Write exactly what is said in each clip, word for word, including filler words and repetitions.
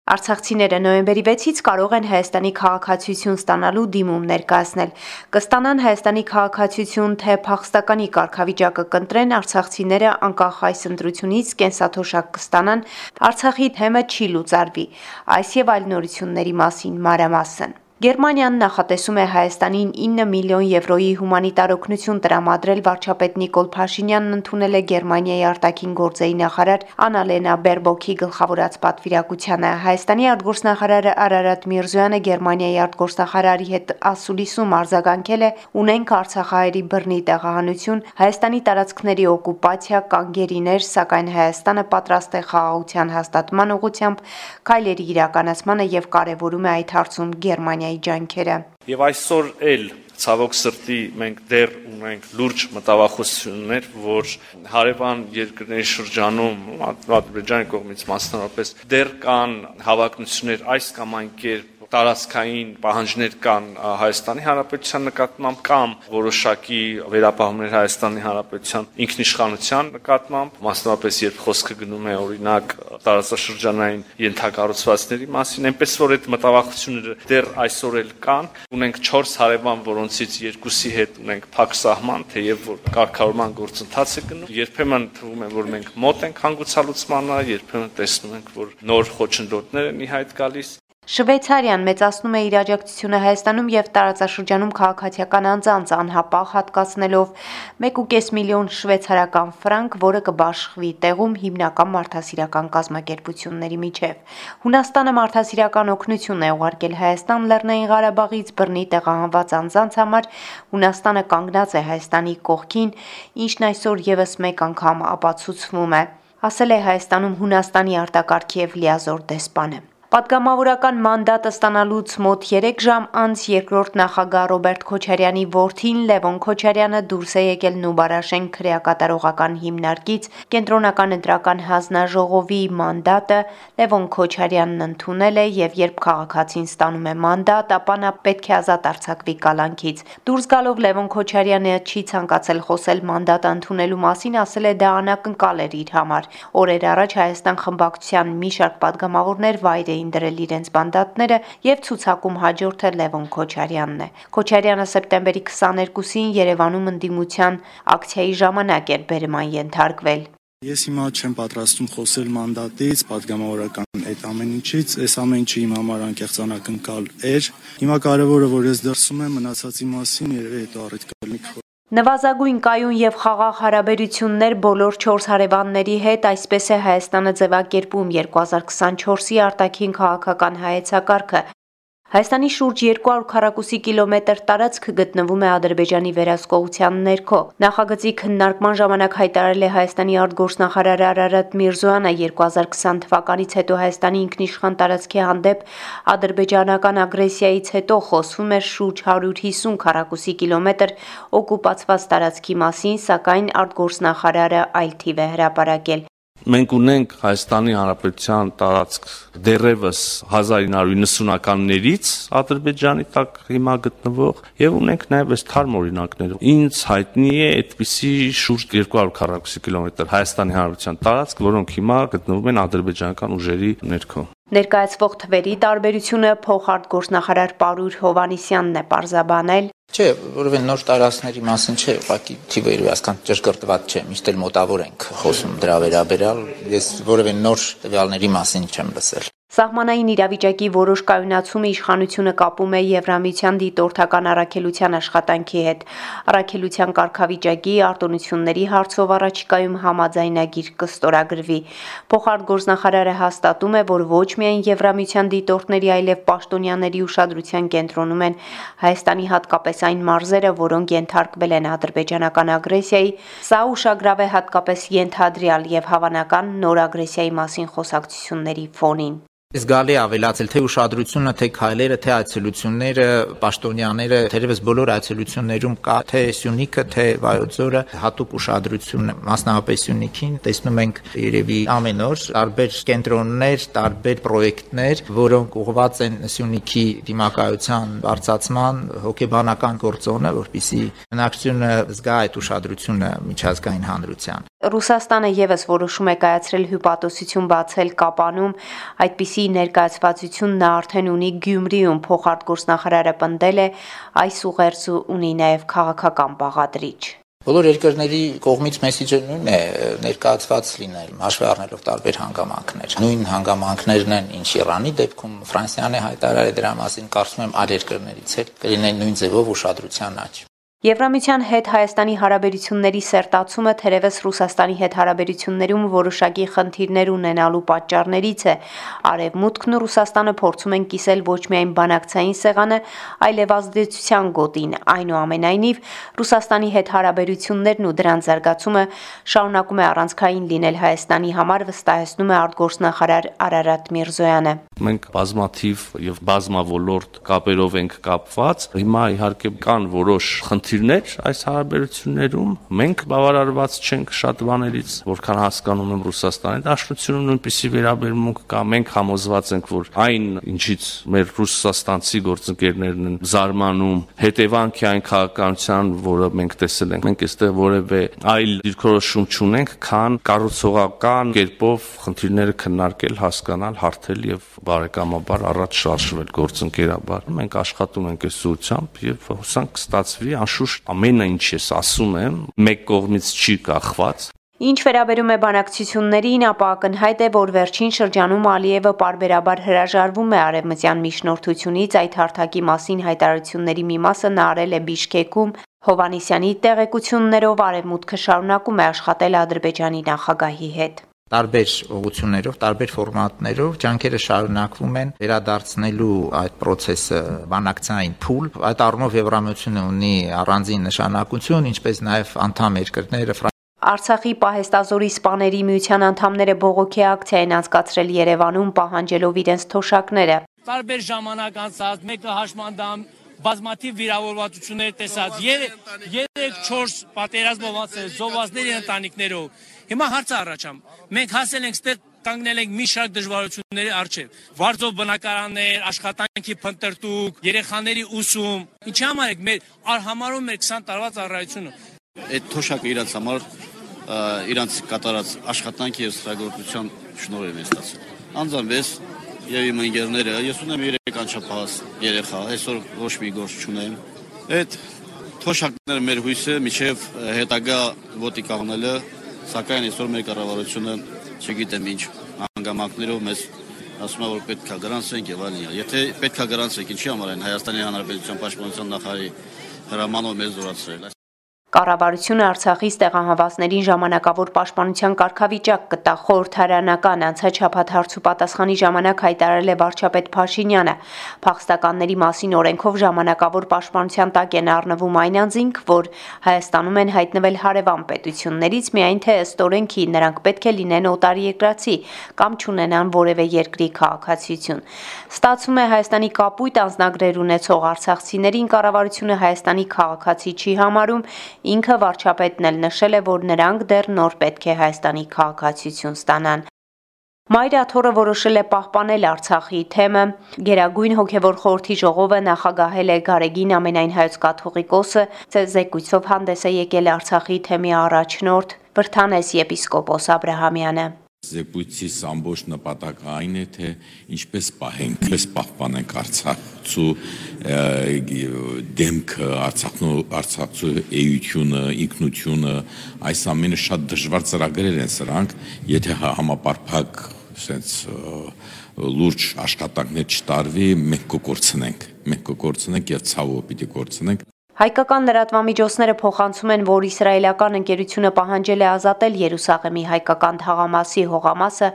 Արցախցիները նոյեմբերի վեցից կարող են Հայաստանի քաղաքացիություն ստանալու դիմում ներկայացնել։ Կստանան Հայաստանի քաղաքացիություն, թե փախստականի կարգավիճակը կընտրեն, արցախցիները անկախ այս ընտրությունից կենսաթոշակ կստանան, Արցախի թեմը չի լուծարվի։ Այս եւ այլ նորությունների մասին մանրամասն։ Գերմանիան նախատեսում է Հայաստանին ինը միլիոն եվրոյի հումանիտար օգնություն տրամադրել։ Վարչապետ Նիկոլ Փաշինյանն ընդունել է Գերմանիայի արտաքին գործերի նախարար Աննալենա Բերբոքի գլխավորած պատվիրակությանը։ Հայաստանի արտգործնախարար Արարատ Միրզոյանը Գերմանիայի արտգործնախարարի հետ ասուլիսում արձագանքել է. «Ունենք արցախահայերի բռնի տեղահանություն, Հայաստանի տարածքների օկուպացիա, կանգերիներ, սակայն Հայաստանը պատրաստ է խաղաղության հաստատման ուղղությամբ քայլերի իրականացմանը եւ կարեւորում է այդ հարցում Գերմանիայի ջանքերը»։ Եվ այսօր էլ ցավոք սրտի մենք դեռ ունենք լուրջ մտավախություններ, որ հարևան երկրների շրջանում Ադրբեջանի կողմից մասնավորապես դեռ կան հավակնություններ այս կամ այն կերպ տարածքային պահանջներ կան Հայաստանի Հանրապետության նկատմամբ կամ որոշակի վերապահումներ Հայաստանի Հանրապետության ինքնիշխանության նկատմամբ, մասնավորապես երբ խոսքը գնում է օրինակ տարածաշրջանային ենթակառուցվածքների մասին, այնպես որ այդ մտավախությունները դեռ այսօր էլ կան։ Ունենք չորս հարևան, որոնցից երկուսի հետ ունենք փակ սահման, թեև որ կարգավորման գործընթաց է գնում։ Երբեմն թվում է, որ մենք մոտ ենք հանգուցալուծմանը, երբեմն տեսնում ենք, որ նոր խոչընդոտներ են ի հայտ գալիս։ Շվեյցարիան մեծացնում է իր աջակցությունը Հայաստանում եւ տարածաշրջանում քաղաքացիական անձանց անհապաղ հատկացնելով մեկ ու կես միլիոն շվեյցարական ֆրանկ, որը կբաշխվի տեղում հիմնական մարդասիրական կազմակերպությունների միջև։ Հունաստանը մարդասիրական օգնություն է ուղարկել Հայաստան Լեռնային Ղարաբաղից բռնի տեղահանված անձանց համար։ Հունաստանը կանգնած է Հայաստանի կողքին, ինչն այսօր եւս մեկ անգամ ապացուցվում է, ասել է Հայաստանում Հունաստանի արտակարգ եւ լիազոր դեսպանը։ Պատգամավորական մանդատը ստանալուց մոտ երեք ժամ անց երկրորդ նախագահ Ռոբերտ Քոչարյանի որդին Լևոն Քոչարյանը դուրս է եկել Նուբարաշեն քրեակատարողական հիմնարկից։ Կենտրոնական ընտրական հանձնաժողովի մանդատը Լևոն Քոչարյանն ընդունել է եւ երբ քաղաքացին ստանում է մանդատ, ապա նա պետք է ազատ արձակվի կալանքից։ Դուրս գալով Լևոն Քոչարյանը չի ցանկացել խոսել մանդատը ընդունելու մասին, ասել է դա անակնկալ էր իր համար։ Օրեր առաջ Հայաստան խմբակցության մի շարք պատգամավորներ վայր դրել իրենց մանդատները եւ ցուցակում հաջորդը Լևոն Քոչարյանն է։ Քոչարյանը սեպտեմբերի քսաներկուսին Երևանում ընդդիմության ակցիայի ժամանակ էր բերման ենթարկվել։ Ես հիմա չեմ պատրաստում խոսել մանդատից, պատգամավորական այդ ամեն ինչից, այս ամեն ինչը իմ համար անկեղծ անակնկալ էր։ Հիմա կարևորը որ ես դրսում եմ մնացածի մասին, երևի հետո առիթ կլինի։ Նվազագույն կայուն եւ խաղաղ հարաբերություններ բոլոր չորս հարևանների հետ, այսպես է Հայաստանը ձևակերպում երկու հազար քսանչորսի արտաքին քաղաքական հայեցակարգը։ Հայաստանի շուրջ երկու հարյուր քառակուսի կիլոմետր տարածք գտնվում է Ադրբեջանի վերահսկողության ներքո։ Նախագծի քննարկման ժամանակ հայտարարել է Հայաստանի արտգործնախարար Արարատ Միրզոյանը երկու հազար քսան թվականից հետո Հայաստանի ինքնիշխան տարածքի հանդեպ ադրբեջանական ագրեսիայից հետո խոսվում էր շուրջ հարյուր հիսուն քառակուսի կիլոմետր օկուպացված տարածքի մասին, սակայն արտգործնախարարը այլ թիվ է հրապարակել։ Մենք ունենք Հայաստանի Հանրապետության տարածք դեռևս հազար ինը հարյուր նվնասունականներից Ադրբեջանի տակ հիմա գտնվող եւ ունենք նաեւ այս թարմ օրինակներ։ Ինձ հայտնի է այդպիսի շուրջ երկու հարյուր քառակուսի կիլոմետր Հայաստանի Հանրապետության տարածք, որոնք հիմա գտնվում են ադրբեջանական ուժերի ներքո։ Ներկայացվող թվերի տարբերությունը փոխարտգործնախարար Պարուր Հովանիսյանն է պարզաբանել։ Չէ, որովհետեւ նոր տարածքների մասին չէ, ուղղակի թիվերը ասկան ճշգրտված չէ, միշտ էլ մոտավոր ենք խոսում դրա վերաբերյալ, ես որովհետեւ նոր տվյալների մասին չեմ լսել։ Սահմանային իրավիճակի որոշ կայունացումը իշխանությունը կապում է Եվրամիության դիտորդական առաքելության աշխատանքի հետ։ Առաքելության կարգավիճակի արտոնությունների հարցով առաջիկայում համաձայնագիր կստորագրվի։ Փոխարտգործնախարարը հաստատում է, որ ոչ միայն Եվրամիության դիտորդների, այլև պաշտոնյաների ուշադրության կենտրոնում են Հայաստանի հատկապես այն մարզերը, որոնք ենթարկվել են ադրբեջանական ագրեսիայի։ Սա ուշագրավ է հատկապես ենթադրյալ եւ հավանական նոր ագրեսիայի մասին խոսակցությունների ֆոնին։ Զգալի ավելացել թե ուշադրությունը, թե քայլերը, թե այցելությունները, պաշտոնյաները, թերևս բոլոր այցելություններում կա թե Սյունիքը, թե Վայոց ձորը հատուկ ուշադրություն, մասնավորապես Սյունիքին տեսնում ենք երևի ամեն օր տարբեր կենտրոններ, տարբեր պրոյեկտներ, որոնք ուղղված են Սյունիքի դիմակայության բարձրացման, հոգեբանական գործոնը, որպեսզի բնակչությունը զգա այդ ուշադրությունը միջազգային հանրության։ Ռուսաստանը եւս որոշում է կայացրել հյուպատոսություն բացել Կապանում, այդպիսի ներկայացվածություն նա արդեն ունի Գյումրիում, փոխարտգործնախարարը պնդել է, այս ուղերձը ունի նաեւ քաղաքական բաղադրիչ։ Բոլոր երկրների կողմից մեսիջը նույնն է, ներկայացված լինել, հաշվի առնելով տարբեր հանգամանքներ։ Նույն հանգամանքներն են, ինչ Իրանի դեպքում Ֆրանսիան է հայտարարել դրա մասին, կարծում եմ այլ երկրներից էլ կլինեն նույն ձևով ուշադրության աճ։ Եվրամիության հետ Հայաստանի հարաբերությունների սերտացումը թերևս Ռուսաստանի հետ հարաբերություններում որոշակի խնդիրներ ունենալու պատճառներից է։ Արևմուտքն ու Ռուսաստանը փորձում են կիսել ոչ միայն բանակցային սեղանը, այլև ազդեցության գոտին։ Այնուամենայնիվ, Ռուսաստանի հետ հարաբերություններն ու դրանց զարգացումը շարունակում է առանցքային լինել Հայաստանի համար, վստահեցնում է արտգործնախարար Արարատ Միրզոյանը։ Մենք բազմաթիվ եւ բազմավոլորտ կապերով ենք կապված։ Հիմա իհարկե կան որոշ խնդիրներ այս հարաբերություններում, մենք բավարարված չենք շատ բաներից, որքան հասկանում եմ Ռուսաստանի Դաշնությունում նույնպիսի վերաբերմունք կա, մենք համոզված ենք, որ այն, ինչից մեր ռուսաստանցի գործընկերներն են զարմանում, հետևանք է այն քաղաքականության, որը մենք տեսել ենք։ Մենք այստեղ որևէ այլ դիրքորոշում չունենք, քան կառուցողական կերպով խնդիրները քննարկել, հասկանալ, հարթել եւ բարեկամաբար առաջ շարժվել գործընկերաբար։ Մենք աշխատում ենք այս ուղղությամբ եւ հուսանք կստացվի, անշուշտ ամենը ինչ ես ասում եմ, մեկ կողմից չի կախված։ Ինչ վերաբերում է բանակցություններին, ապա ակնհայտ է, որ վերջին շրջանում Ալիևը պարբերաբար հրաժարվում է արևմտյան միջնորդությունից, այդ հարթակի մասին հայտարարությունների մի մասը նա արել է Բիշկեկում, Հովհաննիսյանի տեղեկություններով Արևմուտքը շարունակում է աշխատել Ադրբեջանի նախագահի հետ։ Տարբեր ուղղություններով, տարբեր ֆորմատներով ջանքերը շարունակվում են վերադարձնելու այդ process-ը բանակցային փուլ։ Այդ առումով Եվրամիությունը ունի առանձին նշանակություն, ինչպես նաև անդամ երկրները Արցախի պահեստազորի սպաների միության անդամները բողոքի ակցիա են անցկացրել Երևանում, պահանջելով իրենց թոշակները։ Տարբեր ժամանակ անցած, մեկը հաշմանդամ, բազմաթիվ վիրավորվածություններ տեսած, երեք-չորս պատերազմով անցել, զոհվածների ընտանիքներով։ Հիմա հարցը առաջամ, մենք հասել ենք ստեղ կանգնել ենք մի շարք դժվարությունների առջև։ Վարձով բնակարաններ, աշխատանքի փնտրտուք, երեխաների ուսում։ Ինչի համար եք մեր արհամարում մեր քսան տարվա ծառայությունը։ Այդ թոշակը իրանց համար իրանց կատարած աշխատանքի եւ ստեղծագործության շնորհիվ է ստացել։ Անձամբ եւ իմ ընկերները, ես ունեմ երեք անչափահաս երեխա, այսօր ոչ մի գործ չունեմ։ Այդ թոշակները մեր հույսը միջև հետագա ոտի կանգնելը, սակայն այսօր մեր կառավարությունը չգիտեմ ինչ հանգամանքներով մեզ ասում է, որ պետք է գրանցենք եւ այլն։ Եթե պետք է գրանցենք, ինչի համար են Հայաստանի Հանրապետության պաշտպանության նախարարի հրամանով մեզ զորացրել։ Կառավարությունը Արցախից տեղահանվածներին ժամանակավոր պաշտպանության կարգավիճակ կտա, խորհրդարանական անցած շաբաթ հարցու պատասխանի ժամանակ հայտարարել է վարչապետ Փաշինյանը։ Փախստականների մասին օրենքով ժամանակավոր պաշտպանության տակ են առնվում այն անձինք, որ Հայաստանում են հայտնվել հարևան պետություններից, միայն թե ըստ օրենքի նրանք պետք է լինեն օտարերկրացի կամ չունենան որևէ երկրի քաղաքացիություն։ Ստացվում է Հայաստանի կապույտ անձնագրեր ունեցող արցախցիներին կառավարությունը Հայաստանի քաղաքացի չի համարում։ Ինքը վարչապետն էլ նշել է, որ նրանք դեռ նոր պետք է Հայաստանի քաղաքացիություն ստանան։ Մայր աթոռը որոշել է պահպանել Արցախի թեմը։ Գերագույն հոգևոր խորհրդի ժողովը նախագահել է Գարեգին ամենայն հայոց կաթողիկոսը, զեկույցով հանդես է եկել Արցախի թեմի առաջնորդ Վրթանես եպիսկոպոս Աբրահամյանը։ Զեկույցის ամբողջ նպատակը այն է, թե ինչպես պահենք, ինչպես պահպանենք Արցախցու դեմքը, Արցախցու էությունը, ինքնությունը, այս ամենը շատ դժվար ծրագրեր են սրանք, եթե համապարփակ sense լուրջ աշխատանքներ չտարվի, մենք կկորցնենք, մենք կկորցնենք եւ ցավով պիտի կորցնենք։ Հայկական լրատվամիջոցները փոխանցում են, որ իսրայելական ընկերությունը պահանջել է ազատել Երուսաղեմի հայկական թաղամասի հողամասը։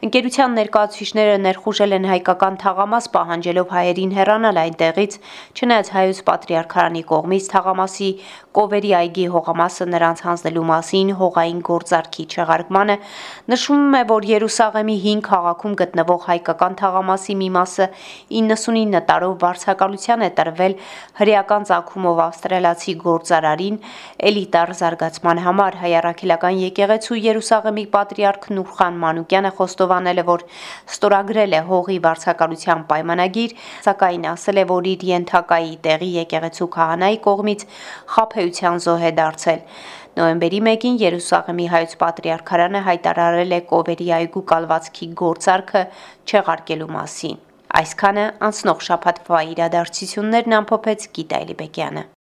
Ընկերության ներկայացուցիչները ներխուժել են հայկական թաղամաս, պահանջելով հայերին հեռանալ այնտեղից, չնայած հայոց պատրիարքարանի կողմից թաղամասի Կովերի այգի հողամասը նրանց հանձնելու մասին հողային գործարքի չեղարկմանը նշվում է, որ Երուսաղեմի հին քաղաքում գտնվող հայկական թաղամասի մի մասը իննսունինը տարով վարձակալության է տրվել հրեական ծագումով ավստրալիացի գործարարին էլիտար զարգացման համար։ Հայ առաքելական եկեղեցու Երուսաղեմի պատրիարք Նուրխան Մանուկյանը խոստովանել է, որ ստորագրել է հողի վարձակալության պայմանագիր, սակայն ասել է, որ իր ենթակայի տեղի եկեղեցու քահանայի կողմից խաբեության զոհ է դարձել։ Նոյեմբերի մեկին Երուսաղեմի հայոց պատրիարքարանը հայտարարել է Կովերի այգու կալվածքի գործարքը չեղարկելու մասին։ Այսքանը անցնող շաբաթվա իրադարձություններն ամփոփեց Գիտա Էլիբեկյանը։